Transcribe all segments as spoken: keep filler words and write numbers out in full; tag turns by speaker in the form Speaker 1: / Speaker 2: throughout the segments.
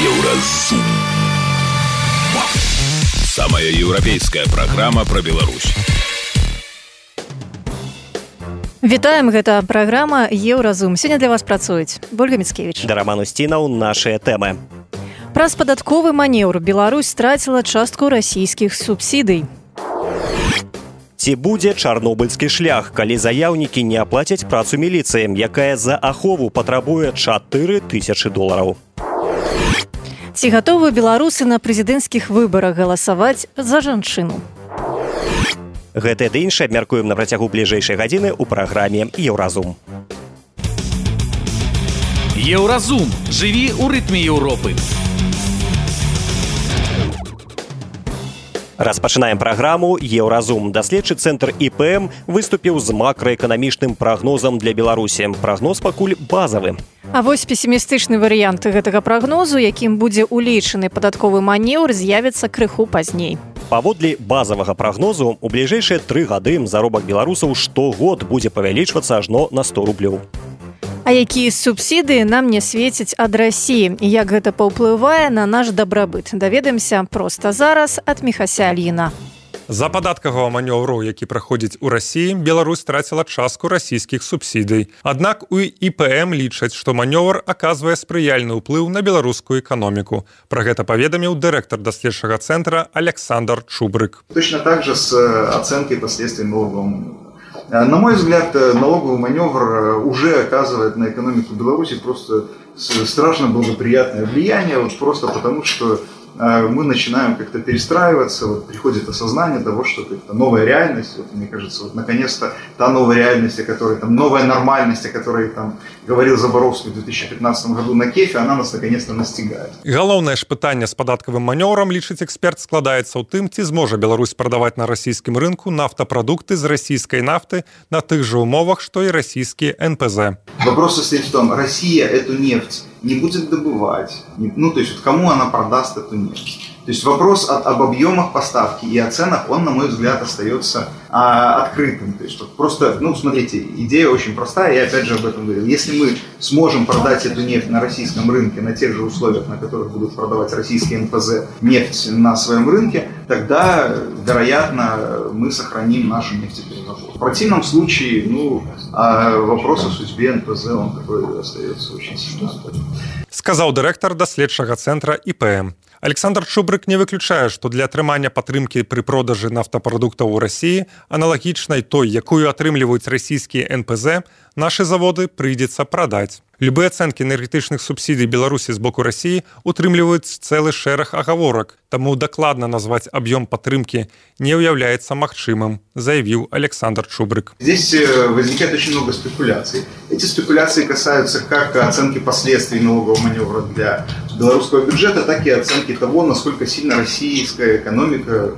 Speaker 1: Еўразум. Самая еўрапейская праграма пра Беларусь.
Speaker 2: Вітаем, гэта праграма Еўразум. Сёння для вас працуюць Ольга Міцкевіч
Speaker 3: да Роман Устінаў. Нашыя тэмы.
Speaker 2: Праз падатковы манеўр Беларусь страціла частку расійскіх субсідый.
Speaker 3: Ці будзе чарнобыльскі шлях, калі заяўнікі не аплацяць працу міліцыі, якая за ахову патрабуе чатыры тысячы долараў.
Speaker 2: Ці гатовы беларусы на прэзідэнцкіх выбарах галасаваць за жанчыну?
Speaker 3: Гэтае ды іншае абмяркуем на працягу бліжэйшай гадзіны ў праграме Еўразум.
Speaker 4: Еўразум. Жыві ў рытме Еўропы.
Speaker 3: Распачынаем праграму Еўразум. Даследчы цэнтр І Пэ Эм выступіў з макраэканамічным прагнозам для Беларусі. Прагноз пакуль базавы.
Speaker 2: А вось песімістычны варыянт гэтага прагнозу, якім будзе улічаны падатковы манеўр, з'явіцца крыху пазней.
Speaker 3: Паводле базавага прагнозу, у бліжэйшыя тры гады заробак беларусаў штогод будзе павялічвацца ажно на сто рублёў.
Speaker 2: А якія субсідыі нам не свецяць ад Расіі і як гэта паўплывае на наш дабрабыт? Даведаемся проста зараз ад Міхася Альіна.
Speaker 5: За падаткавага манеўру, які праходзіць у Расіі, Беларусь страціла частку расійскіх субсідый. Аднак у І Пэ Эм лічаць, што манеўр аказвае спрыяльны ўплыў на беларускую эканоміку. Пра гэта паведаміў дырэктар даследчага цэнтра Александр Чубрык.
Speaker 6: Точно так же с оценкой последствий налогового маневра. На мой взгляд, налоговый маневр уже оказывает на экономику Беларуси просто страшно благоприятное влияние, вот просто потому что мы начинаем как-то перестраиваться, вот приходит осознание того, что это новая реальность, вот, мне кажется, вот, наконец-то та новая реальность, о которой, там, новая нормальность, о которой там, говорил Забаровский в две тысячи пятнадцатом году на Кефе, она нас наконец-то настигает.
Speaker 5: Галоўнае ж пытанне з падаткавым манеўрам, лічыць эксперт, складаецца ў тым, ці зможа Беларусь прадаваць на расійскім рынку нафтапрадукты з расійскай нафты на тых же умовах, что и российские Эн Пэ Зэ.
Speaker 6: Вопрос состоит в том, Россия эту нефть не будет добывать, ну то есть вот кому она продаст эту нефть. То есть вопрос от, об объемах поставки и о ценах, он, на мой взгляд, остается а, открытым. То есть вот просто, ну смотрите, идея очень простая, я опять же об этом говорил. Если мы сможем продать эту нефть на российском рынке на тех же условиях, на которых будут продавать российские Эн Пэ Зэ нефть на своем рынке, тогда, вероятно, мы сохраним нашу нефтепереработку. В противном случае, ну, вопрос о судьбе Эн Пэ Зэ, он такой остается очень сильно.
Speaker 5: Сказаў дырэктар даследчага цэнтра І Пэ Эм. Александр Чубрык не выключае, што для атрымання падтрымкі пры продажы нафтапрадуктаў у Расіі, аналагічнай той, якую атрымліваюць расійскія Эн Пэ Зэ, нашы заводы прыйдзецца прадаць. Любыя ацэнкі энергетычных субсідый Беларусі з боку Расіі утрымліваюць цэлы шэраг агаворак, таму дакладна назваць аб'ём падтрымкі не ўяўляецца магчымым, заявіў Александр Чубрык.
Speaker 6: Здесь возникает очень много спекуляций. Эти спекуляции касаются как оценки последствий налогового маневра для белорусского бюджета, так и оценки того, насколько сильно российская экономика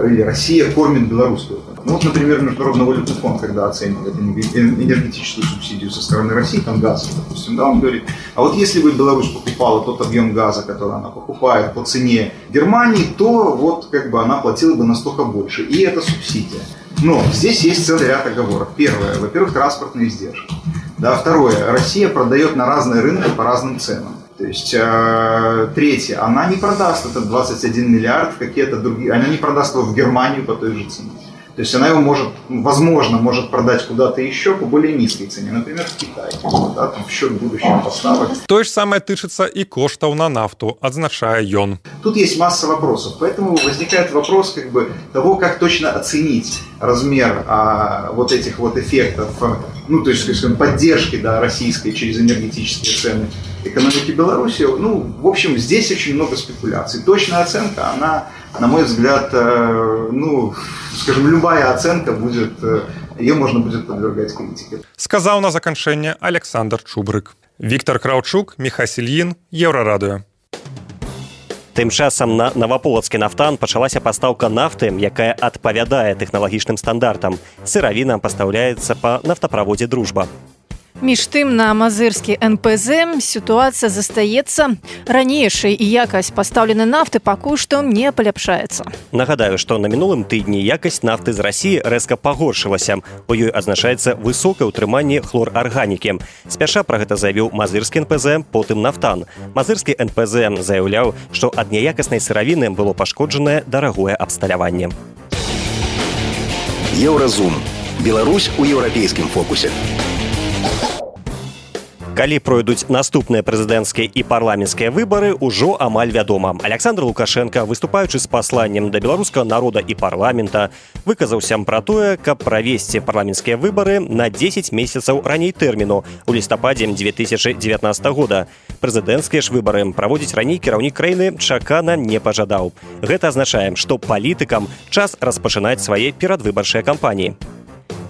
Speaker 6: или Россия кормит белорусскую экономику. Ну, вот, например, Международный валютный фонд, когда оценивает энергетическую субсидию со стороны России, там газ, допустим, да, он говорит, а вот если бы Беларусь покупала тот объем газа, который она покупает по цене Германии, то вот как бы она платила бы настолько больше. И это субсидия. Но здесь есть целый ряд оговорок. Первое, во-первых, транспортные издержки. Да, второе, Россия продает на разные рынки по разным ценам. То есть, э, третье, она не продаст этот двадцать один миллиард в какие-то другие, она не продаст его в Германию по той же цене. То есть она его может, возможно, может продать куда-то еще по более низкой цене, например, в Китай, да, там, в счет будущих поставок.
Speaker 5: То же самое тычется и коштов на нафту, отзначая ён.
Speaker 6: Тут есть масса вопросов, поэтому возникает вопрос как бы того, как точно оценить размер а, вот этих вот эффектов, ну, то есть, скажем, поддержки, да, российской через энергетические цены экономики Беларуси. Ну, в общем, здесь очень много спекуляций. Точная оценка, она, на мой взгляд, э, ну, скажем, любая оценка будет, ее можно будет подвергать критике.
Speaker 5: Сказал на заканчэнне Александр Чубрык. Віктор Краўчук, Міхась Ільін, Еўрарадыё.
Speaker 3: Тым часам на Наваполацкі нафтан пачалася пастаўка нафты, якая адпавядае тэхналагічным стандартам. Сыравіна пастаўляецца па нафтаправодзе «Дружба».
Speaker 2: Між тым на мазырскі эн пэ зэ сітуацыя застаецца ранейшай і якасць пастаўленай нафты пакуль што не паляпшаецца.
Speaker 3: Нагадаю, што на мінулым тыдні якасць нафты з Расіі рэзка пагоршылася. У ёй азначаецца высокае ўтрыманне хлорарганікі. Спяша пра гэта заявіў мазырскі эн пэ зэ, потым нафтан. Мазырскі эн пэ зэ заяўляў, што ад няякаснай сыравіны было пашкоджанае дарагое абсталяванне.
Speaker 1: Еўразум. Беларусь у еўрапейскім фокусе.
Speaker 3: Калі пройдуць наступныя прэзідэнцкія і парламенцкія выбары, ужо амаль вядома. Александр Лукашенко, выступаючы з пасланнем да беларускага народа і парламента, выказаўся пра тое, каб правесці парламенцкія выбары на дзесяць месяцаў раней тэрміну у лістападзе дзве тысячы дзевятнаццатага года. Прэзідэнцкія ж выбары праводзіць раней кіраўнік краіны чакана не пажадаў. Гэта азначае, што палітыкам час распачынаць свае перадвыбарчыя кампаніі.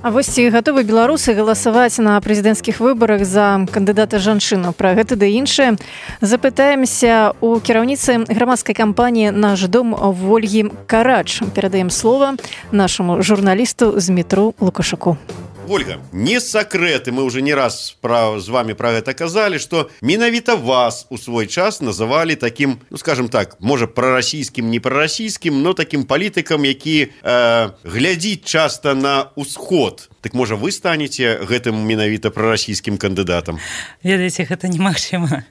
Speaker 2: А вось ці гатовы беларусы галасаваць на прэзідэнцкіх выбарах за кандыдата жанчыну? Пра гэта ды іншае запытаемся у кіраўніцы грамадскай кампаніі «Наш дом» Вольгі Карач. Перадаем слова нашаму журналісту Змітру Лукашуку.
Speaker 7: Ольга, не секрет, и мы уже не раз про, с вами про это казали, что менавіта вас у свой час называли таким, ну скажем так, может пророссийским, не пророссийским, но таким политиком, які э, глядит часто на усход. Так можа вы станете гэтым менавіта пророссийским кандыдатам?
Speaker 8: Ведаеце, гэта немагчыма.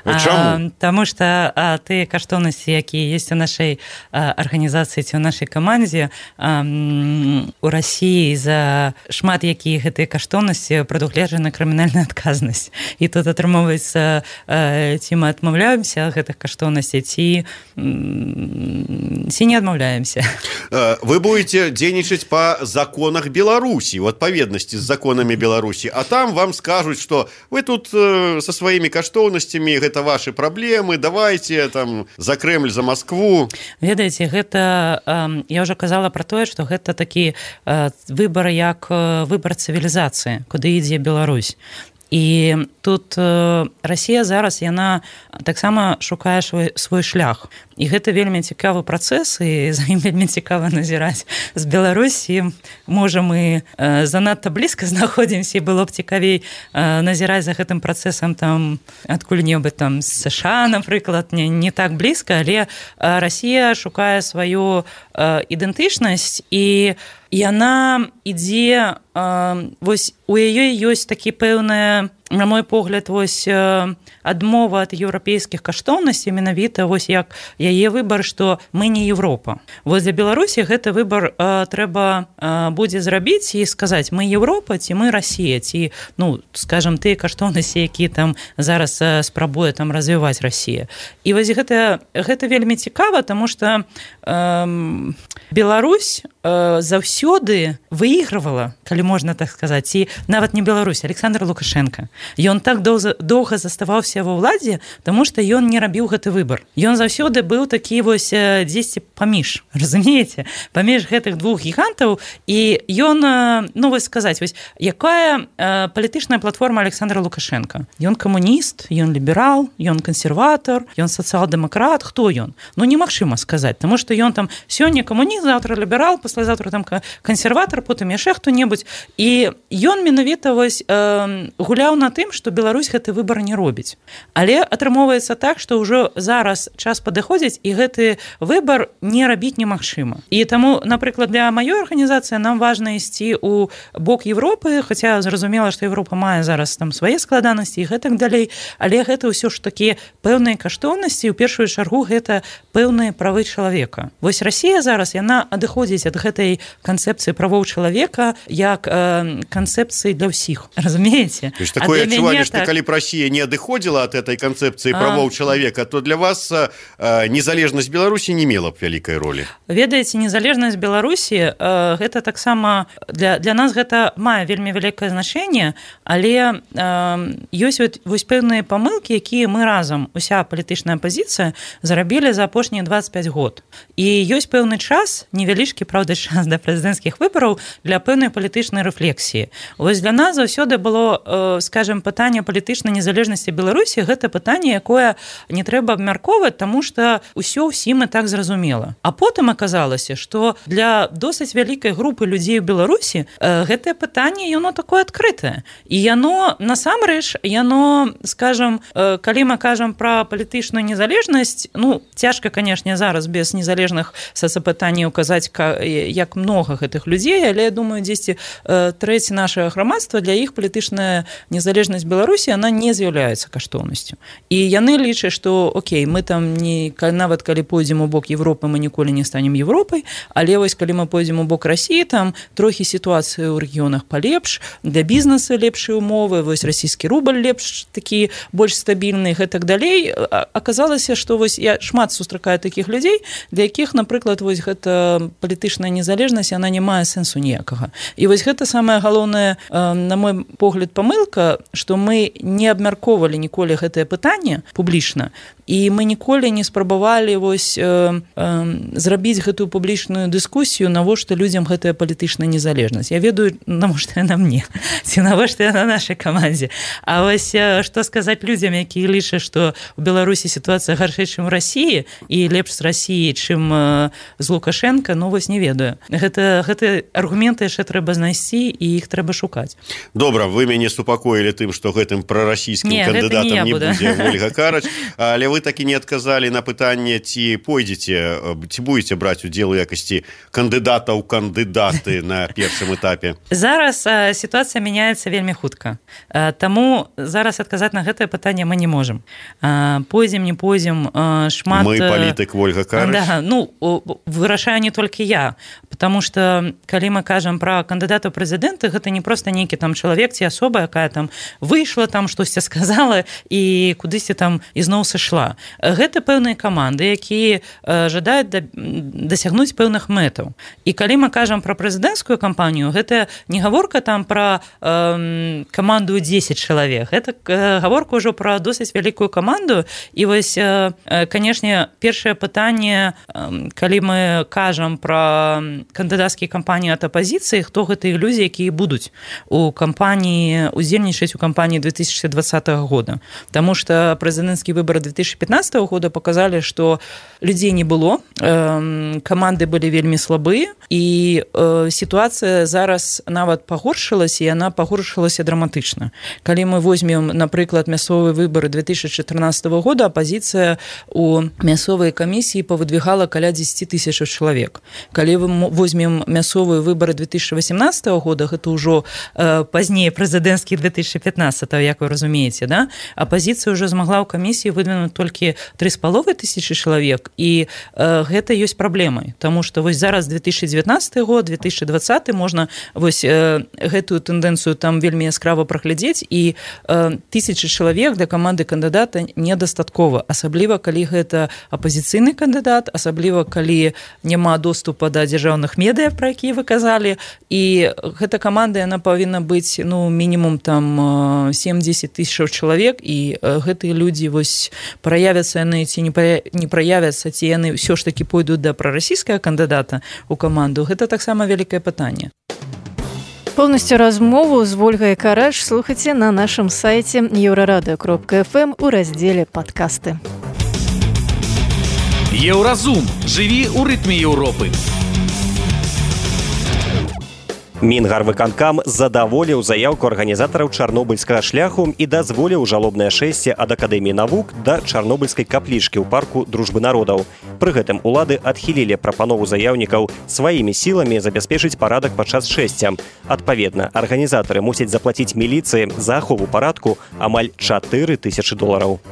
Speaker 7: А чаму?
Speaker 8: Таму што а, тыя каштоўнасці, якія ёсць у нашай а, арганізацыі ці ў нашай камандзе, а, у Расіі за шмат якія гэтыя каштоўнасці прадугледжана крымінальная адказнасць. І тут атрымоўваецца, а, ці мы адмаўляемся ад гэтых каштоўнасцей, ці, ці не адмаўляемся.
Speaker 7: Вы будете дзейнічаць па законах Беларусі, у адпаведнасці з законамі Беларусі, а там вам скажуць, што вы тут э, со сваімі каштоўнасцямі, гэта ваши праблемы, давайте там за Кремль, за Москву.
Speaker 8: Ведаеце, гэта, э, я ўжо казала пра тое, што гэта такі э, выбар як э, выбар цывілізацыі, куды ідзе Беларусь. І тут э, Расія зараз, яна таксама шукае свой, свой шлях. І гэта вельмі цікавы працэс, і за ім вельмі цікава назіраць з Беларусі. Можа, мы э, занадта блізка знаходзімся, і было б цікавей э, назіраць за гэтым працэсам там адкуль-небудзь там з США, напрыклад, не, не так блізка, але э, Расія шукае сваю э, ідэнтычнасць, і яна ідзе, э, вось у яе ёсць такі пэўная, на мой погляд, вось адмова ад еўрапейскіх каштоўнасцей, менавіта вось як яе выбар, што мы не Еўропа. Вось для Беларусі гэты выбар э, трэба э, будзе зрабіць і сказаць, мы Еўропа ці мы Расія, ці, ну, скажам, тыя каштоўнасці, якія там зараз э, спрабуе там развіваць Расія. І вось гэта, гэта вельмі цікава, таму што э, Беларусь э, заўсёды выйгравала, калі можна так сказаць, ці нават не Беларусь, Александр Лукашенко. Ён так доўга заставаўся ва ўладзе, таму што ён не рабіў гэты выбар. Ён заўсёды быў такі вось дзесьці паміж, разумееце, паміж гэтых двух гігантаў, і ён, ну вось сказаць, вось якая э, палітычная платформа Александра Лукашенко? Ён камуніст, ён ліберал, ён кансерватор, ён сацыял-дэмакрат, хто ён? Ну немагчыма сказаць, таму што ён там сёння камуніст, заўтра ліберал, паслязаўтра там кансерватор, потым яшчэ хто-небудзь, і ён менавіта вось э, гуляў на тым, што Беларусь гэты выбар не робіць. Але атрымоўваецца так, што ўжо зараз час падыходзіць, і гэты выбар не рабіць немагчыма. І таму, напрыклад, для маёй арганізацыі нам важна ісці ў бок Европы, хаця зразумела, што Европа мае зараз там свае складанасці і гэтак далей, але гэта ўсё ж такі пэўныя каштоўнасці, у першую чаргу гэта пэўныя правы чалавека. Вось Расія зараз, яна адыходзіць ад гэтай канцэпцыі правоў чалавека як э, канцэпцыі для ўсіх. Разумееце?
Speaker 7: То есть такое адчуванне, што так... калі б Расія не адыходзіла ад этой канцэпцыі правоў чалавека, то для вас э, незалежнасць Беларусі не мела б вялікай ролі.
Speaker 8: Ведаеце, незалежнасць Беларусі э, гэта таксама для, для нас гэта мае вельмі вялікае значэнне, але э, ёсць вот, вось пэўныя памылкі, якія мы разам, уся палітычная апазіцыя, зарабілі за апошнія дваццаць пяць год. І ёсць пэўны час, невялічкі, правда, час да прэзідэнцкіх выбараў для пэўнай палітычнай рэфлексіі. Вось для нас заўсёды было, э, скажем, скажем, пытанне палітычнай незалежнасці Беларусі гэта пытанне, якое не трэба абмяркоўваць, таму што ўсё ўсім і так зразумела. А потым аказалася, што для досыць вялікай групы людзей у Беларусі гэтае пытанне, яно такое адкрытае. І яно, насамрэч, яно, скажем, калі мы кажам пра палітычную незалежнасць, ну, цяжка, канешне, зараз без незалежных сацыпытанняў казаць, як многа гэтых людзей, але я думаю, дзесьці трэці нашага грамадства, для іх палітычная незалежнасць Беларусі, она не з'яўляецца каштоўнасцю. І яны лічаць, што, окей, мы там не, нават калі пойдзем у бок Европы, мы ніколі не станем Европай, але вось калі мы пойдзем у бок Расіі, там трохі сітуацыя ў рэгіёнах палепш, для бізнеса лепшыя умовы, вось расійскі рубль лепш, такі больш стабільны і гэтак далей. Аказалася, што вось я шмат сустракаю такіх людзей, для якіх, напрыклад, вось гэта палітычная незалежнасць, она не мае сэнсу ніякага. І вось гэта самая галоўная, на мой погляд, памылка, што мы не абмяркоўвалі ніколі гэтае пытанне публічна, і мы ніколі не спрабавалі вось э, э, зрабіць гэтую публічную дыскусію, навошта людзям гэтая палітычная незалежнасць. Я ведаю, навошта яна мне, ці навошта яна нашай камандзе. А вось што сказаць людзям, якія лічаць, што ў Беларусі сітуацыя гаршэй, чым у Расіі, і лепш з Расіі, чым э, з Лукашенка, ну вось не ведаю. Гэта, гэта аргументы яшчэ трэба знайсці, і іх трэба шукаць.
Speaker 7: Добра, вы мяне супакоілі тым, што гэтым прарасійскім не, кандыдатам не, не будзе Ольга Карач, але вы такі не адказалі на пытанне, ці пойдзеце, ці будзеце браць удзел у якасці кандыдата ў кандыдаты на першым этапе?
Speaker 8: Зараз а, сітуацыя мяняецца вельмі хутка. А, таму зараз адказаць на гэтае пытанне мы не можам. А, пойдзем, не пойдзем, а, шмат...
Speaker 7: Мы палітык Ольга Карач?
Speaker 8: Да, ну, вырашаю не толькі я, потому что калі мы кажам пра кандыдата ў прэзідэнты, гэта не проста нейкі там чалавек ці асоба, якая там выйшла, там штосьці сказала і кудысьці там ізноў сышла. Гэта пэўныя каманды, якія жадаюць дасягнуць пэўных мэтаў. І калі мы кажам пра прэзідэнцкую кампанію, гэта не гаворка там пра э, каманду дзесяць чалавек, гэта гаворка ўжо пра досыць вялікую каманду. І вось, э, канешне, першае пытанне, э, калі мы кажам пра кандыдацкія кампаніі ад апазіцыі, хто гэтыя людзі, якія будуць у кампаніі, удзельнічаць у кампаніі две тысячи двадцатого года. Таму што прэзідэнцкія выбары две тысячи пятнадцатого года показали, что людей не было, э, команды были вельмі слабые, и э, ситуация зараз нават пагоршилась, и она пагоршилась драматычна. Калі мы возьмем, напрыклад, мясцовыя выборы две тысячи четырнадцатого года, оппозиция у мясцовай камісіі павыдвигала каля десять тысяч человек. Калі мы возьмем мясцовыя выборы две тысячи восемнадцатого года, гэта ўжо э, пазней прэзідэнцкія две тысячи пятнадцатого, як вы разумееце, да? Оппозиция уже змогла ў камісіі выдвинуць толькі три з паловай тысячи чалавек, і э, гэта ёсць праблемай, таму што вось зараз две тысячи девятнадцатый год, две тысячи двадцатый можна вось э, гэтую тэндэнцыю там вельмі яскрава праглядзець, і э, тысячи чалавек для каманды кандыдата недастаткова, асабліва калі гэта апазіцыйны кандыдат, асабліва калі няма доступа да дзяржаўных медыа, пра якія вы казалі, і гэта каманда, яна павінна быць, ну, мінімум там семь-десять тысяч чалавек, і э, гэтыя людзі вось праявяцца яны ці не праявяцца, ці яны ўсё ж такі пойдуць да прарасійскага кандыдата ў каманду, гэта таксама вялікае пытанне.
Speaker 2: Полностью размову з Ольгай Карач слухайце на нашым сайце еўрарадыё кропка эф эм у раздзеле «Падкасты».
Speaker 4: Еўразум. Жыві ў рытме Еўропы.
Speaker 3: Мінгарвыканкам задаволіў заяўку арганізатараў чарнобыльскага шляху і дазволіў жалобнае шэсце ад Акадэміі навук да чарнобыльскай каплічкі ў парку дружбы народаў. Пры гэтым улады адхілілі прапанову заяўнікаў сваімі сіламі забяспечыць парадак падчас шэсця. Адпаведна, арганізатары мусяць заплаціць міліцыі за ахову парадку амаль чатыры тысячы долараў.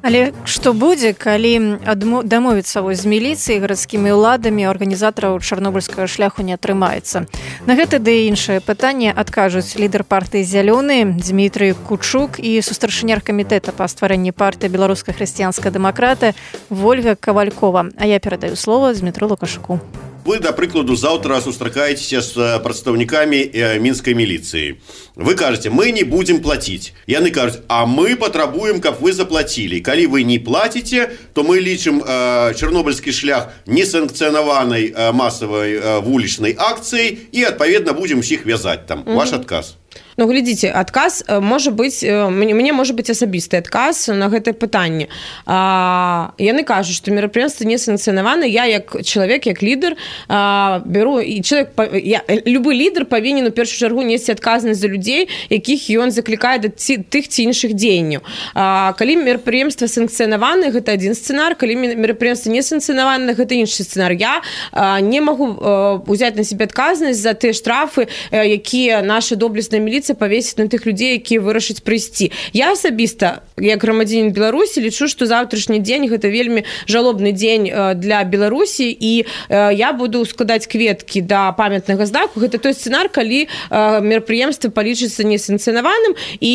Speaker 2: Але што будзе, калі дамовіцца вось з міліцыяй, гарадскімі ўладамі, арганізатараў чарнобыльскага шляху не атрымаецца? На гэта ды і іншае пытанне адкажуць лідар партыі «Зялёны» Дмітрый Кучук і сустаршыня камітэта па стварэнні партыі беларуска-хрысціянская дэмакрата Ольга Кавалькова. А я перадаю слово Дмітру Лукашуку.
Speaker 7: Вы, да прыкладу, заўтра сустракаецеся з прадстаўнікамі мінскай міліцыі. Вы кажаце, мы не будзем плаціць. Яны кажуць, а мы патрабуем, каб вы заплацілі. Калі вы не плаціце, то мы лічым э, чарнобыльскі шлях несанкцыянаванай э, масавай э, вулічнай акцыяй і, адпаведна, будзем усіх вязаць там. Mm-hmm. Ваш адказ.
Speaker 9: Ну, глядзіце, адказ можа быць, мне можа быць асабісты адказ на гэтае пытанне. А, яны кажуць, што мерапрыемства не санкцыянаваны. Я як чалавек, як лідар а, беру, і чалавек, я, любы лідар павінен у першую чаргу несці адказнасць за людзей, якіх ён заклікае да ці, тых ці іншых дзеянняў. А, калі мерапрыемства санкцыянаваны, гэта адзін сцэнар, калі мерапрыемства не санкцыянаваны, гэта іншы сцэнар. Я а, не магу а, узяць на себе адказнасць за тыя штрафы, а, якія наша доблесная міліцыя павесіць на тых людзей, якія вырашаць прыйсці. Я асабіста, як грамадзянін Беларусі, лічу, што заўтрашні дзень гэта вельмі жалобны дзень для Беларусі, і я буду складаць кветкі да памятнага знаку. Гэта той сцэнар, калі мерапрыемства палічыцца несанкцыянаваным, і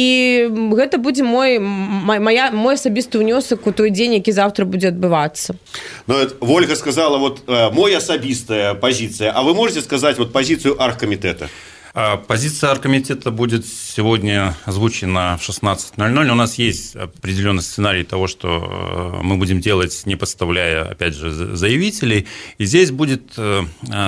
Speaker 9: гэта будзе мой, моя, мой асабісты ўнёсак у той дзень, які заўтра будзе адбывацца.
Speaker 7: Ну, Ольга сказала, вот, мой особистая позиция, а вы можете сказать вот позицию оргкомитета?
Speaker 10: Позиция оргкомитета будет сегодня озвучена в шестнадцать ноль ноль. У нас есть определенный сценарий того, что мы будем делать, не подставляя, опять же, заявителей. И здесь будет,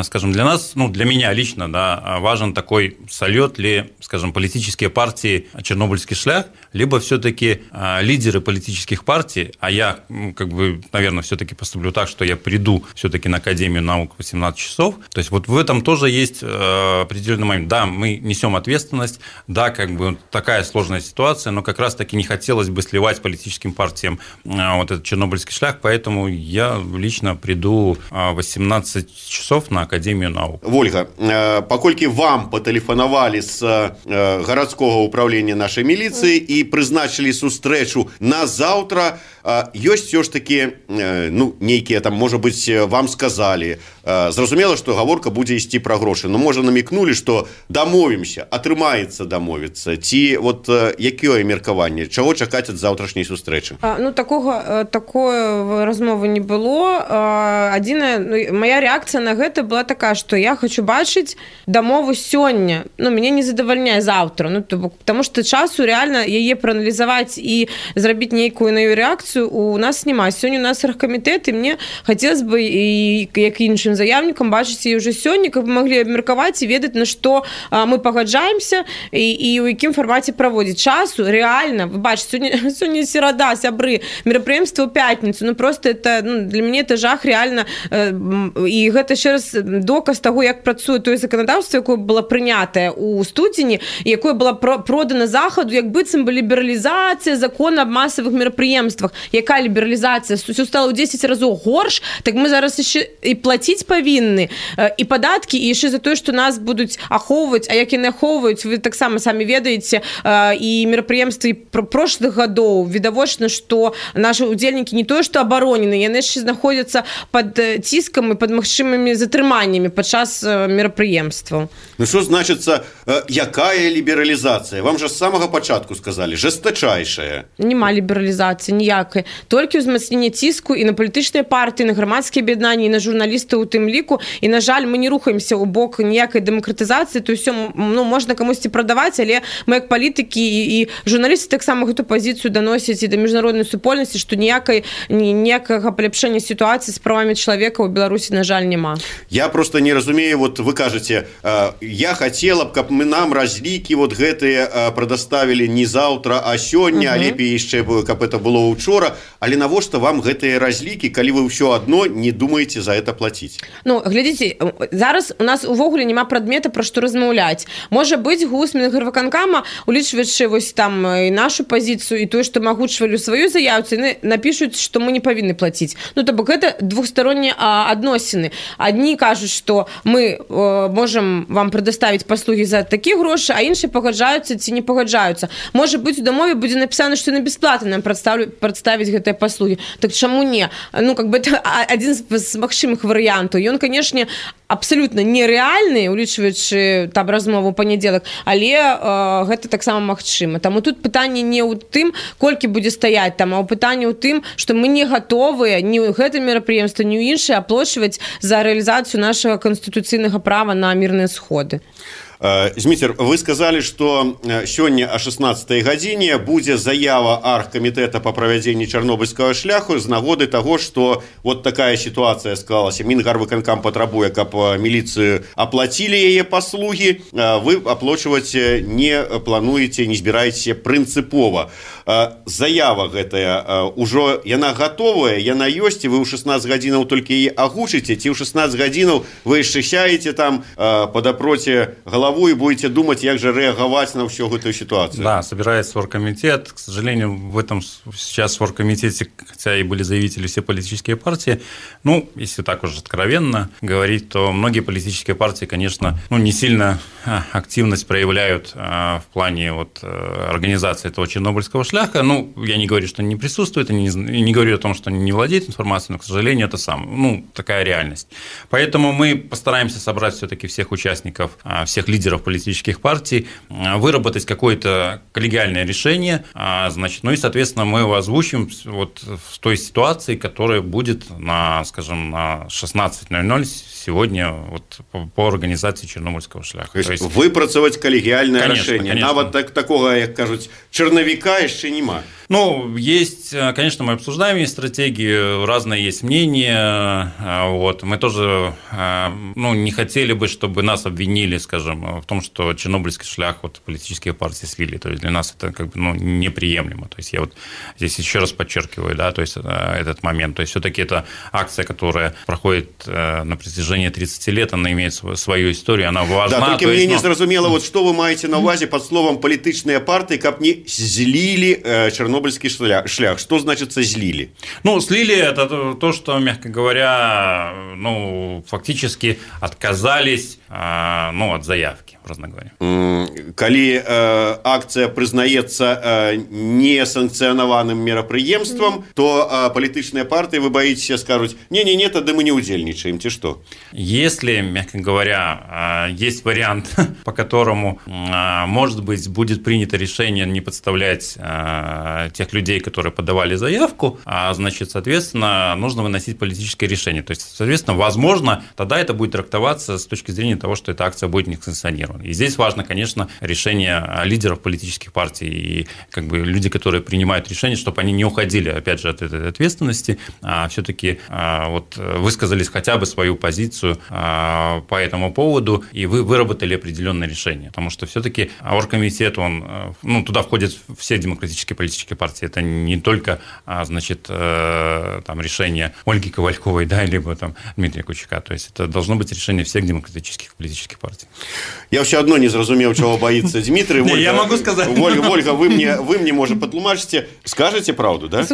Speaker 10: скажем, для нас, ну, для меня лично, да, важен такой, сольет ли, скажем, политические партии «Чернобыльский шлях», либо все-таки лидеры политических партий, а я, как бы, наверное, все-таки поступлю так, что я приду все-таки на Академию наук в восемнадцать часов. То есть вот в этом тоже есть определенный момент. Да, мы несем ответственность, да, как бы такая сложная ситуация, но как раз-таки не хотелось бы сливать политическим партиям вот этот чернобыльский шлях, поэтому я лично приду в восемнадцать часов на Академию наук.
Speaker 7: Ольга, покольки вам потелефонавали с городского управления нашей милиции и призначили сустрэчу на завтра, ёсць все ж таки, ну, нейкія там, может быть, вам сказали, зразумела, что гаворка будзе ісці пра грошы, но можа намекнули, что дамовімся, атрымаецца дамовіцца, ці вот якое меркаванне, чаго чакаць ад заўтрашняй сустрэчы?
Speaker 9: Ну, такога, такой размовы не было. Адзіная, ну, моя реакцыя на гэта была такая, что я хочу бачыць дамову сёння, ну, мяне не задавальняе завтра, ну, потому что часу реально яе прааналізаваць і зрабіць нейкую на её реакцию у нас няма. Сёння у нас оргкомитет, и мне хотелось бы, и як іншым заявнікам, бачыць яе уже сёння, каб мы могли абмеркаваць і ведаць, на што мы пагаджаемся і, і у якім фармаце праводзіць. Часу реально, вы бачыце, сёння, сёння серада, сябры, мерапрыемства ў пятніцу, ну просто это, ну, для мяне это жах реально, і гэта ще раз доказ таго, як працуе тое заканадаўства, якое было прынятае у студзені, якое было продано захаду, як быццам бы лібералізацыя закона аб масавых мерапрыемствах. Якая лібералізацыя? Усё стало ў дзесяць разоў горш, так мы зараз яшчэ і плаціць павінны, і падаткі, і яшчэ за тое, што нас будуць ахоўваць, а як яны ахоўваюць, вы таксама самі ведаеце, і мерапрыемствы прошлых гадоў відавочна, што нашы удзельнікі не тое, што абаронены, яны яшчэ знаходзяцца пад ціскам і пад магчымымі затрыманнямі падчас мерапрыемстваў.
Speaker 7: Ну што значыцца, якая лібералізацыя? Вам жа з самага пачатку сказалі, жестачайшая.
Speaker 9: Нема лібералізацыі ніякай. Толькі ўзмацненне ціску і на палітычныя партыі, на грамадскія аб'яднанні, і на журналістаў у тым ліку. І, на жаль, мы не рухаемся ў бок ніякай дэмакратызацыі, то ўсё, ну, можна камусьці прадаваць, але мы як палітыкі і, і журналісты таксама гэту пазіцыю даносяць і да міжнароднай супольнасці, што ніякай, ніякага паляпшэння сітуацыі з правамі чалавека ў Беларусі, на жаль, няма.
Speaker 7: Я просто не разумею, вот вы кажаце, я хотела б, каб мы нам разлікі вот гэтыя прадаставілі не заўтра, а сёння, uh-huh. а лепей яшчэ, каб это было учора, але навошта вам гэтыя разлікі, калі вы ўсё адно не думаеце за это плаціць?
Speaker 9: Ну, глядзіце, зараз у нас увогуле няма прадмета, пра што размаўляць. Можа быць, гус Мінгарвыканкама, улічваючы вось там і нашу пазіцыю, і тое, што мы агучвалі ў сваю заяву, яны напішуць, што мы не павінны плаціць. Ну, то бок гэта двухстороннія адносіны. Адні кажуць, што мы э, можам вам прадаставіць паслугі за такі грошы, а іншыя пагаджаюцца ці не пагаджаюцца. Можа быць, у дамове будзе напісана, што яны бясплатна нам прадставіць гэтыя паслугі. Так чаму не? Ну, как бы это адзін з магчымых варыянтаў. Ён, канешне, абсолютно нереальны, улічваючы там размову ў панядзелак, але э, гэта таксама магчыма. Таму тут пытанне не ў тым, колькі будзе стаяць там, а ў пытанне ў тым, што мы не гатовыя ні ў гэта мерапрыемства, ні ў іншае аплочваць за рэалізацыю нашага канстытуцыйнага права на мірныя сходы.
Speaker 7: Зміцер, вы сказали, что сёння о шестнадцатай гадзіне будзе заява аргкамітэта по правядзенні чарнобыльскага шляху з нагоды того, что вот такая ситуация склалася. Мінгарвыканкам патрабуе, каб міліцыю аплацілі яе паслугі, вы аплачваць не плануеце, не збіраеце прынцыпова. Заява гэтая ўжо яна гатовая, яна ёсць, і вы ў шестнадцать гадзінаў толькі яе агучыце, ці ў шестнадцать гадзінаў вы яшчэ сяеце там падапроце галавы и будете думать, как же реагировать на всю эту ситуацию.
Speaker 10: Да, собирается оргкомитет. К сожалению, в этом сейчас в оргкомитете, хотя и были заявители все политические партии, ну, если так уж откровенно говорить, то многие политические партии, конечно, ну, не сильно активность проявляют а, в плане вот, организации этого чернобыльского шляха. Ну, я не говорю, что они не присутствуют, и не, не говорю о том, что они не владеют информацией, но, к сожалению, это сам, ну, такая реальность. Поэтому мы постараемся собрать все-таки всех участников, всех лидеров лидеров политических партий, выработать какое-то коллегиальное решение, значит, ну и, соответственно, мы его озвучим вот в той ситуации, которая будет на, скажем, на шестнадцать ноль ноль сегодня вот по организации Чернобыльского шляха.
Speaker 7: То есть, выпрацаваць коллегиальное конечно, решение. Конечно. Нават так, такого, как кажуть, черновика еще нема.
Speaker 10: Ну, есть, конечно, мы обсуждаем есть стратегии, разные есть мнения. Вот. Мы тоже ну, не хотели бы, чтобы нас обвинили, скажем, в том, что чернобыльский шлях вот, политические партии слили. То есть для нас это как бы, ну, неприемлемо. То есть я вот здесь еще раз подчеркиваю, да, то есть этот момент. То есть все-таки это акция, которая проходит на протяжении тридцати лет, она имеет свою историю, она важна.
Speaker 7: Да, только мне не зразумело, вот что вы маете на увазе под словом «политичные партии», как не злили чернобыльские Чернобыльский шлях. Что значит злили?
Speaker 10: Ну, слили – это то, что, мягко говоря, ну, фактически отказались ну, от заявки, образно говоря.
Speaker 7: Коли э, акция признаецца э, несанкционованным мерапрыемством, то э, политичные партии, вы боитесь, скажут, не-не-не, тогда мы не удельничаем, те что?
Speaker 10: Если, мягко говоря, есть вариант, по которому, может быть, будет принято решение не подставлять тех людей, которые подавали заявку, значит, соответственно, нужно выносить политическое решение. То есть, соответственно, возможно, тогда это будет трактоваться с точки зрения того, что эта акция будет несанкционирована. И здесь важно, конечно, решение лидеров политических партий и как бы люди, которые принимают решения, чтобы они не уходили, опять же, от этой ответственности, а все-таки вот высказались хотя бы свою позицию по этому поводу, и вы выработали определенное решение. Потому что все-таки оргкомитет, он, ну, туда входят все демократические политические партии. Это не только, значит, там, решение Ольги Ковальковой, да, либо там Дмитрия Кучака. То есть это должно быть решение всех демократических политических партий.
Speaker 7: Я все одно не зразумеў, чего боится Дмитрий.
Speaker 10: Ольга, я могу сказать.
Speaker 7: Ольга, Ольга, вы мне, вы мне, может, потлумачите, скажете правду, да?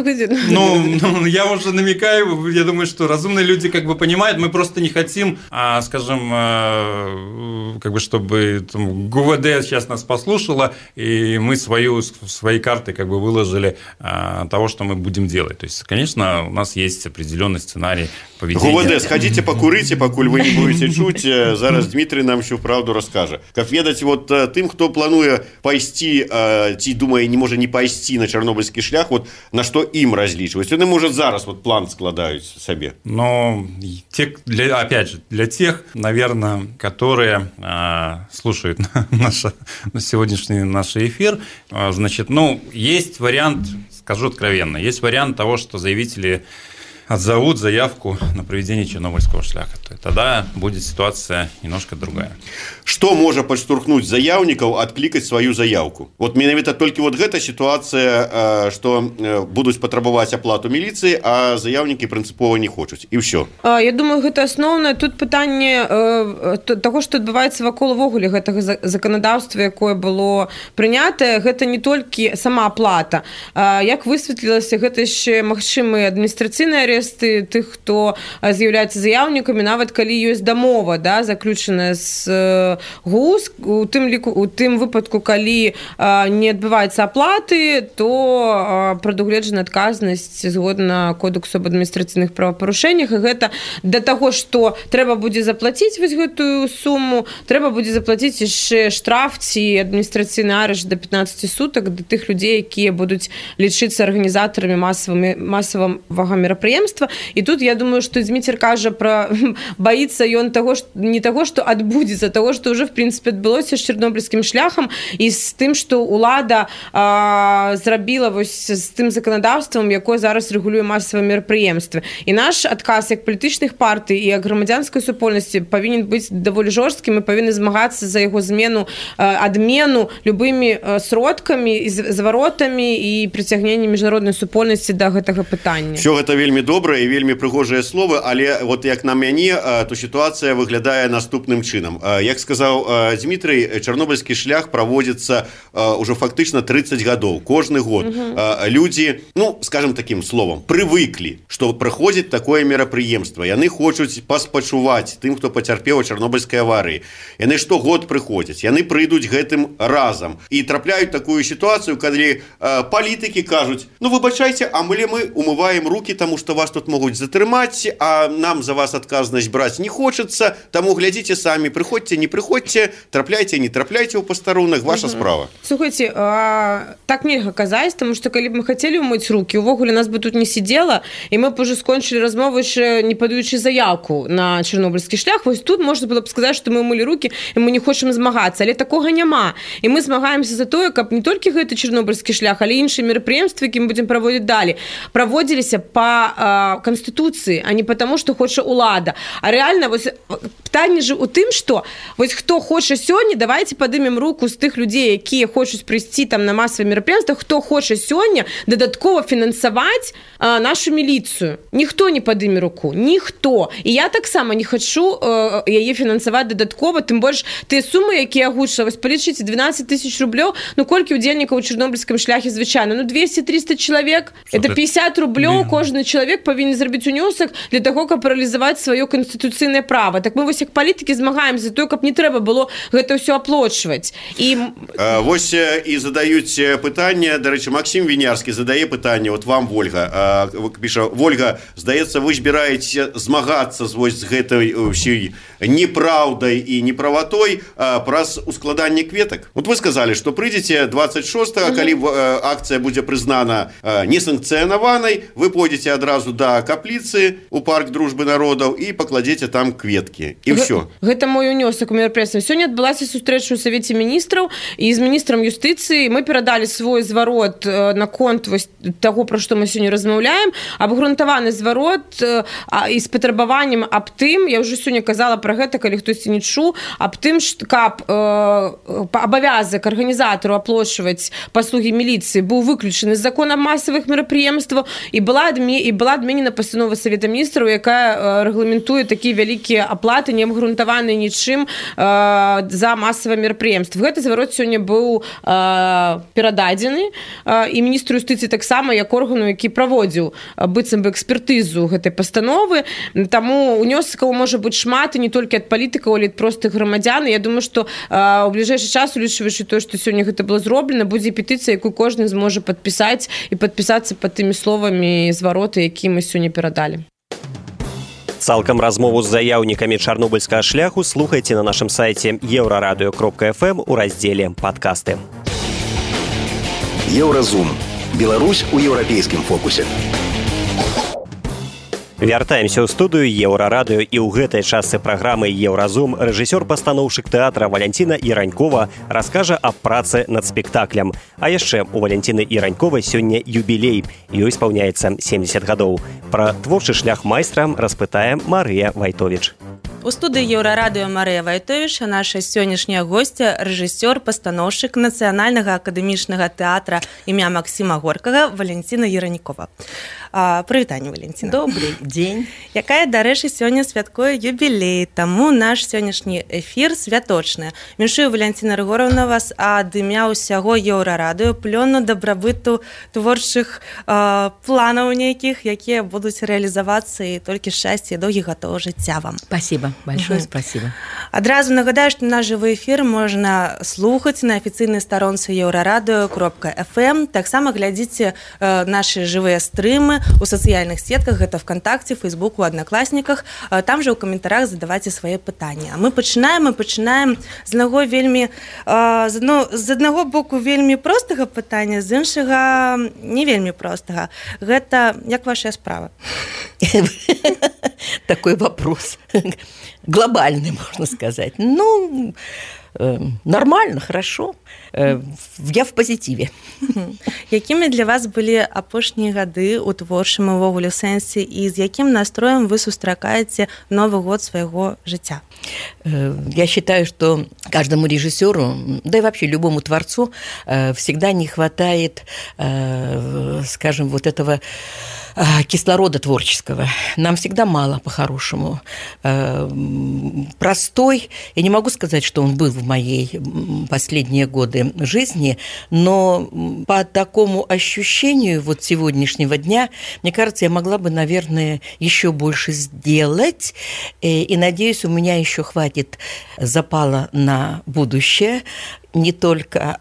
Speaker 10: Ну, ну, я уже намекаю, я думаю, что разумные люди как бы понимают, мы просто не хотим, а, скажем, а, как бы, чтобы там, ГУВД сейчас нас послушало, и мы свою, свои карты как бы выложили а, того, что мы будем делать. То есть, конечно, у нас есть определенный сценарий поведения.
Speaker 7: ГУВД, сходите покурите, покуль вы не будете чуть, зараз Дмитрий нам всю правду расскажет. Как ведать, вот тем, кто плануе пайсці, ці думае, не можа не пайсці на чарнобыльскі шлях, вот на что им различивать? Они, может, зараз вот план складают себе.
Speaker 10: Но, те, для, опять же, для тех, наверное, которые а, слушают наш, сегодняшний наш эфир, а, значит, ну, есть вариант, скажу откровенно, есть вариант того, что заявители отзовут заявку на проведение чернобыльского шляха. Тогда будет ситуация немножко другая.
Speaker 7: Что может подштурхнуть заявников откликать свою заявку? Вот менавіта только вот эта ситуация, что будут потребовать оплату милиции, а заявники принципово не хотят. И все.
Speaker 9: Я думаю, это основное тут питание того, что отбывается вокруг вогуле этого законодавства, якое было принято. Это не только сама оплата. Як высветлілася, это еще магчымыя адміністрацыйныя арэсты тых, хто з'яўляецца заяўнікамі, нават калі ёсць дамова, да, заключаная з ГУС, у тым ліку, у тым выпадку, калі не адбываецца аплаты, то прадугледжана адказнасць згодна кодексу аб адміністрацыйных правапарушэннях, і гэта да таго, што трэба будзе заплаціць вось гэтую суму, трэба будзе заплаціць яшчэ штраф ці адміністрацыйны арышт да пятнаццати сутак да тых людзей, якія будуць лічыцца арганізатарамі масавага мерапрыемства. мерапрыемства. І тут я думаю, што Дзміцер кажа пра баіцца ён таго, што не таго, што адбудзецца, таго, што ўжо в прынцыпе адбылося з чарнобыльскім шляхам і з тым, што ўлада а, зрабіла вось з тым заканадаўствам, якое зараз рэгулюе масавыя мерапрыемствы. І наш адказ як палітычных партый і як грамадзянскай супольнасці павінен быць даволі жорсткім, мы павінны змагацца за яго змену, адмену любымі сродкамі, зваротамі і прыцягненне міжнароднай супольнасці да гэтага пытання.
Speaker 7: Все гэта вельмі добра і вельмі прыгожыя словы, але вот як на мяне, то сітуацыя выглядае наступным чынам. Як сказаў Дмітрый, чарнобыльскі шлях праводзіцца ўжо фактычна тридцать гадоў, кожны год. Угу. Людзі, ну, скажем таким словом, прывыклі, што прыходзіць такое мерапрыемства. Яны хочуць паспачуваць тым, хто пацярпеў у чарнобыльскай аварыі. Яны штогод прыходзяць, яны прыйдуць гэтым разам і трапляюць такую сітуацыю, калі палітыкі кажуць: ну, выбачайце, а мы мы умываем руки, таму што вас тут могуць затрымаць, а нам за вас адказнасць браць не хочацца, таму глядзіце самі, прыходзьце, не прыходзьце, трапляйце, не трапляйце ў пастарунах, ваша угу. справа.
Speaker 9: Слухайте, а, так нельга казаць, таму што калі б мы хацелі умыць руки, увогуле нас бы тут не сидела, і мы б уже скончылі размову, яшчэ не падаючы заявку на чарнобыльскі шлях. Вось тут можна было б сказаць, што мы умылі руки і мы не хочам змагацца, але такога няма. І мы змагаемся за тое, каб не толькі гэты чарнобыльскі шлях, але іншыя мерапрыемствы, які мы будзем праводзіць далей, праводзіліся па э, канстытуцыі, а не потому, што хоча ўлада. А рэальна вось пытанне ж у тым, што вось хто хоча сёння, давайте падымем руку з тых людзей, якія хочуць прыйсці там на масавыя мерапрыемствы, хто хоча сёння дадаткова фінансаваць э, нашу міліцыю. Ніхто не падыме руку, ніхто. І я таксама не хачу э, яе фінансаваць дадаткова, тым больш тыя сумы, якія агучылі, вось палічыце двенадцать тысяч рублёў, ну колькі удзельнікаў у чарнобыльскім шляхе звычайна? Ну двести-триста чалавек. Это пятьдесят рублёў кожны чалавек павінен зрабіць унёсак для таго, каб рэалізаваць сваё канстытуцыйнае права. Так мы вось як палітыкі змагаемся за тое, каб не трэба было гэта ўсё аплочваць. І
Speaker 7: а, вось і задаюць пытанне, дарэчы, Максим Вінярскі задае пытанне, вот вам, Вольга, а, піша: Вольга, здаецца, вы збіраеце змагацца з вось з гэтай ўсёй неправдай і неправатой а, праз ускладанне кветак. Вот вы сказалі, што прыйдзеце двадцать шостага, калі а, акцыя будзе прызнана а, несанкцыянаванай, вы пойдзеце адразу да капліцы у парк дружбы народаў і пакладзеце там кветкі. І ўсё.
Speaker 9: Гэта мой унёсак у мерапрыемстве. Сёння адбылася сустрэча ў Савеце міністраў, і з міністрам юстыцыі мы перадалі свой зварот наконт вось таго, пра што мы сёння размаўляем, абгрунтаваны зварот і з патрабаваннем аб тым, я ўжо сёння казала пра гэта, калі хтосьці не чуў, аб тым, каб абавязак арганізатару аплочваць паслугі міліцыі быў выключаны з закона масавых мерапрыемстваў, і была і была адменена пастанова Савета міністраў, якая рэгламентуе такія вялікія аплаты, не абгрунтаваныя нічым за масавыя мерапрыемствы. Гэты зварот сёння быў перададзены і міністру юстыцыі таксама, як органу, які праводзіў быццам бы экспертызу гэтай пастановы. Таму унёсакаў можа быць шмат, і не толькі ад палітыкаў, але ад простых грамадзян. Я думаю, што ў бліжэйшы час, улічваючы тое, што сёння гэта было зроблена, будзе петыцыя, якую кожны зможа падпісаць і падпісацца пад тымі словамі звароты, якія мы сёння перадалі.
Speaker 3: Цалкам размову з заяўнікамі чарнобыльскага шляху слухайце на нашым сайце еўрарадыё кропка эф эм у раздзеле «Падкасты».
Speaker 1: Еўразум. Беларусь у еўрапейскім фокусе.
Speaker 3: Вяртаемся ў студыю Еўрарадыё, і ў гэтай частцы праграмы «Еўразум» рэжысёр-пастаноўшчык тэатра Валянціна Іранькова раскажа аб працы над спектаклем. А яшчэ у Валянціны Іраньковай сёння юбілей. Ёй спаўняецца семьдесят гадоў. Пра творчы шлях майстра распытае Марыя Вайтовіч.
Speaker 11: У студыі Еўрарадыё Марыя Вайтовіч, наша сённяшняя госця, рэжысёр, пастаноўшчык Нацыянальнага акадэмічнага тэатра імя Максіма Горкага Валянціна Іранькова. Прывітанне, Валянціна.
Speaker 12: Добрый дзень.
Speaker 11: Якая, дарэчы, сёння святкуе юбілей, таму наш сённяшні эфір святочны. Віншую, Валянціна Рыгоровна, вас ад імя ўсяго Еўрарадыё плёну дабрабыту творчых э, планаў нейкіх, якія будуць рэалізавацца, і толькі шчасце і доўгіх гадоў жыцця вам.
Speaker 12: Спасибо. Большое угу. спасибо.
Speaker 11: Адразу нагадаю, што наш жывы эфір можна слухаць на афіцыйнай старонцы еўрарадыё кропка эф эм. Таксама глядзіце э, нашы жывыя стрымы ў сацыяльных сетках, гэта ВКонтакце, Фейсбуку, Аднакласніках. Э, там жа ў каментарах задавайце свае пытанні. А мы пачынаем, мы пачынаем з аднаго вельмі э, з, адно, з аднаго боку вельмі простага пытання, з іншага не вельмі простага. Гэта як ваша справа?
Speaker 12: Такой вопрос глобальный, можно сказать. Ну, э, нормально, хорошо. Э, я в позитиве.
Speaker 11: Якімі для вас былі апошнія гады ў творчым увогуле сэнсе і з якім настроем вы сустракаеце Новы год свайго жыцця?
Speaker 12: Э, я считаю, что каждому режиссеру, да и вообще любому творцу э, всегда не хватает, э, скажем, вот этого кислорода творческого. Нам всегда мало, по-хорошему. Простой, я не могу сказать, что он был в моей последние годы жизни, но по такому ощущению вот сегодняшнего дня, мне кажется, я могла бы, наверное, еще больше сделать, и, надеюсь, у меня еще хватит запала на будущее, не только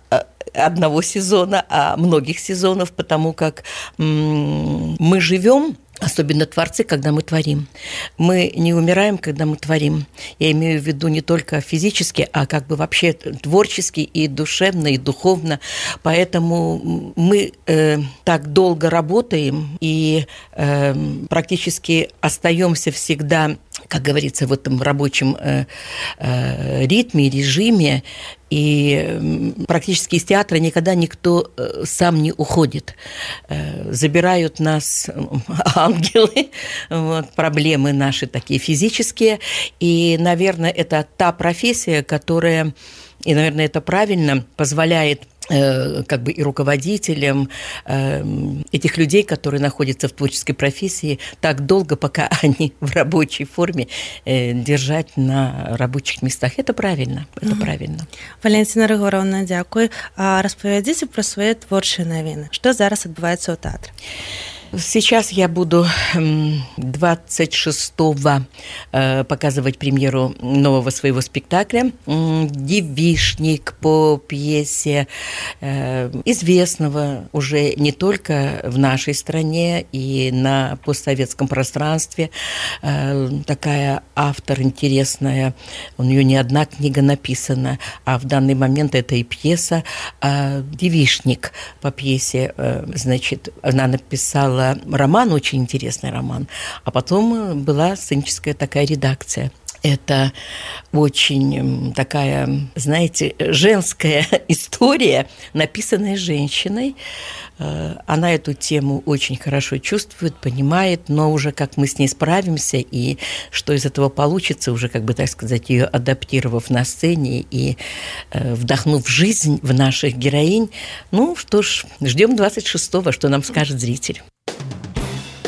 Speaker 12: одного сезона, а многих сезонов, потому как мы живем, особенно творцы, когда мы творим. Мы не умираем, когда мы творим. Я имею в виду не только физически, а как бы вообще творчески и душевно, и духовно. Поэтому мы э, так долго работаем и э, практически остаемся всегда, как говорится, в этом рабочем э, э, ритме, режиме. И практически из театра никогда никто сам не уходит. Забирают нас ангелы, вот, проблемы наши такие физические. И, наверное, это та профессия, которая, и, наверное, это правильно, позволяет как бы и руководителям этих людей, которые находятся в творческой профессии, так долго, пока они в рабочей форме, держать на рабочих местах. Это правильно, это mm-hmm. правильно.
Speaker 11: Валентина Рыгоровна, дякую. А распавядзіце пра свае творчыя навіны. Што зараз адбываецца ў тэатры?
Speaker 12: Сейчас я буду двадцать шестого показывать премьеру нового своего спектакля «Девичник» по пьесе известного уже не только в нашей стране и на постсоветском пространстве. Такая автор интересная, у нее не одна книга написана, а в данный момент это и пьеса. «Девичник» по пьесе, значит, она написала роман, очень интересный роман, а потом была сценическая такая редакция. Это очень такая, знаете, женская история, написанная женщиной. Она эту тему очень хорошо чувствует, понимает, но уже как мы с ней справимся и что из этого получится, уже, как бы так сказать, ее адаптировав на сцене и вдохнув жизнь в наших героинь. Ну что ж, ждем двадцать шестого, что нам скажет зритель.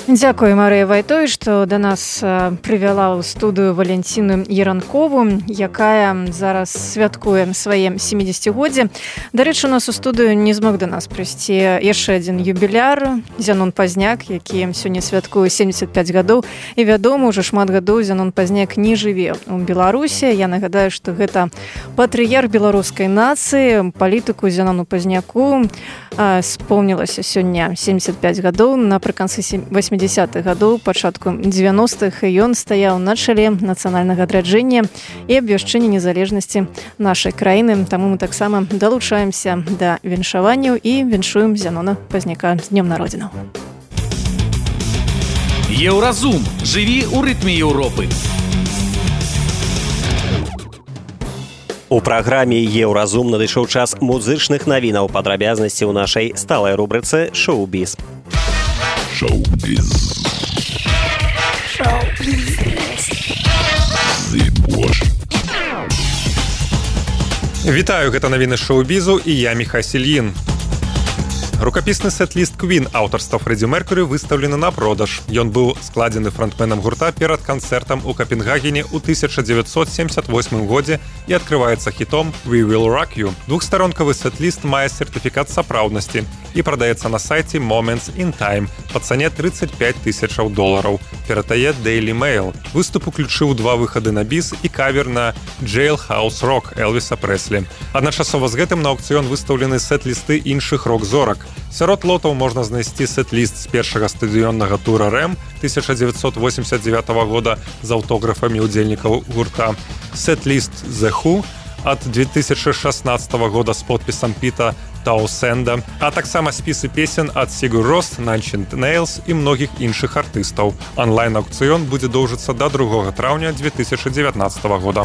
Speaker 2: Дзякую, Марыя Вайтой, што да нас прывяла ў студыю Валянціну Яранкову, якая зараз святкуе свае сямідзесяцігоддзе. Дарэчы, у нас у студыю не змог да нас прыйсці яшчэ адзін юбіляр, Зянон Пазняк, які сёння святкуе семьдесят пять гадоў. І вядома, уже шмат гадоў Зянон Пазняк не жыве ў Беларусі. Я нагадаю, што гэта патрыярх беларускай нацыі, палітыку Зянону Пазняку спомнілася сёння семьдесят пять гадоў, напрыканцы восьмидесятых гадоў, пачатку девяностых, і ён стаяў на чале нацыянальнага адраджэння і абвяшчэння незалежнасці нашай краіны. Таму мы таксама далучаемся да віншаванняў і віншуем Зянона Пазняка з днём народзінаў.
Speaker 4: Еўразум. Жыві ў рытме Еўропы.
Speaker 3: У праграме «Еўразум» надышоў час музычных навінаў, падрабязнасці ў нашай сталай рубрыцы «Шоу-біз».
Speaker 13: Шоу-біз.
Speaker 5: Вітаю, гэта навіны шоу-бізу і я Міхась Ільін. Рукапісны сет-ліст Queen аўтарства Фрэдзі Меркурі выстаўлены на продаж. Ён быў складзены фронтменам гурта перад канцэртам у Капенгагене ў тысяча дзевяцьсот семьдесят восьмым годзе і адкрываецца хітом «We Will Rock You». Двухстаронкавы сет-ліст мае сертыфікат сапраўднасці і прадаецца на сайце Moments in Time па цане тридцать пять тысяч долараў. Перадае Daily Mail. Выступ уключыў два выхады на біс і кавер на Jailhouse Rock Элвіса Прэслі. Адначасова з гэтым на аўкцыён выстаўлены сет-лісты іншых рок-зорак. Сярод лотаў можна знайсці сет-ліст з першага стадыённага тура рэм тысяча дзевяцьсот восемьдесят девятого года з аўтографамі ўдзельнікаў гурта, сет-ліст The Who ад две тысячи шестнадцатого года з подпісам Піта Таусенда, а таксама спісы песен ад Sigur Rós, Nine Inch Nails і многіх іншых артыстаў. Онлайн-аўкцыён будзе доўжыцца да другога траўня две тысячи девятнадцатого года.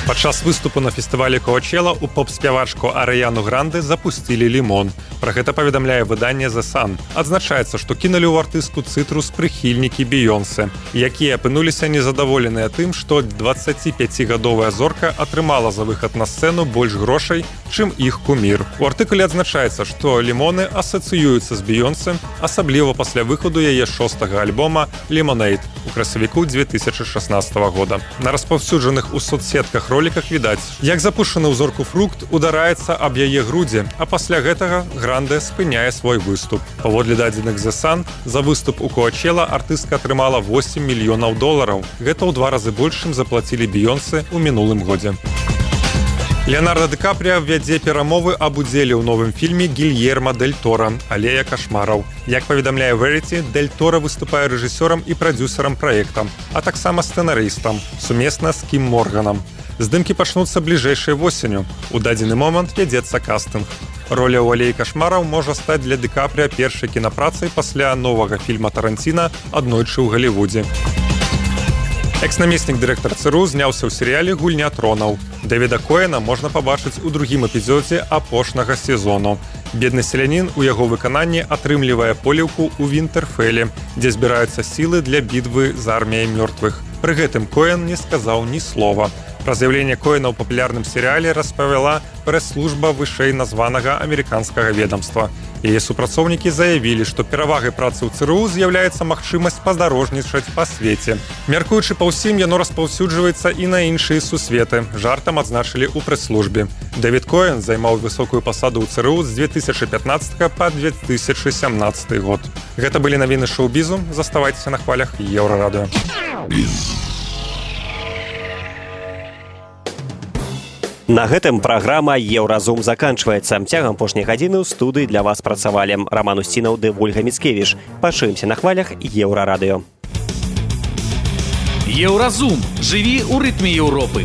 Speaker 5: Падчас выступу на фестывалі Коачела у поп-спявачку Арыяну Гранде запусцілі лімон. Пра гэта паведамляе выданне The Sun. Адзначаецца, што кінулі ў артыстку цытрус прыхільнікі Бейонсе, якія апынуліся незадаволеныя тым, што дваццаціпяцігадовая зорка атрымала за выхад на сцэну больш грошай, чым іх кумір. У артыкуле адзначаецца, што лімоны асацыююцца з Бейонсе, асабліва пасля выхаду яе шостага альбома «Lemonade» у красавіку две тысячи шестнадцатого года. На распаўсюджаных у соцсетках роликах відаць, як запушчаны ў зорку фрукт удараецца аб яе грудзі, а пасля гэтага Гранде спыняе свой выступ. Паводле дадзеных The Sun, за выступ у Коачела артыстка атрымала восемь мільёнаў долараў. Гэта ў два разы больш, чым заплацілі Бейонсе ў мінулым годзе. Леонардо Ди Капріа вядзе перамовы аб удзеле ў новым фільме Гільерма Дель Торо «Алея кашмараў». Як паведамляе Verity, Дель Торо выступае рэжысёрам і прадзюсарам праекта, а таксама сцэнарыстам, сумесна з Кім Морганам. Здымкі пачнуцца бліжэйшай восенню. У дадзены момант вядзецца кастынг. Роля ў «Алеі кашмараў» можа стаць для Ди Капріа першай кінапрацай пасля новага фільма Таранціна «Аднойчы ў Галівудзе». Экс-намеснік дырэктара ЦРУ зняўся ў серыяле «Гульня тронаў». Дэвіда Коэна можна пабачыць у другім эпізодзе апошняга сезону. Бедны селянін у яго выкананні атрымлівае поліўку ў Вінтэрфеле, дзе збіраюцца сілы для бітвы з арміяй мёртвых. Пры гэтым Коэн не сказаў ні слова. Пра з'яўленне Коэна ў папулярным серыяле распавяла прэс-служба вышэй названага амерыканскага ведамства. Яе супрацоўнікі заявілі, што перавагай працы ў ЦРУ з'яўляецца магчымасць падарожнічаць па свеце. Мяркуючы па ўсім, яно распаўсюджваецца і на іншыя сусветы. Жартам адзначылі ў прэс-службе. Дэвід Коэн займаў высокую пасаду ў ЦРУ з две тысячи пятнадцатого па две тысячи семнадцатый год. Гэта былі навіны шоу-бізу. Заставайцеся на хвалях Еўрарадыё.
Speaker 3: На гэтым праграма «Еўразум» заканчваецца. Цягам апошняй гадзіны ў студыі для вас працавалі Роман Усцінаў ды Вольга Міцкевіч. Пачуемся на хвалях Еўрарадыё.
Speaker 4: Еўразум. Жыві ў рытме Еўропы.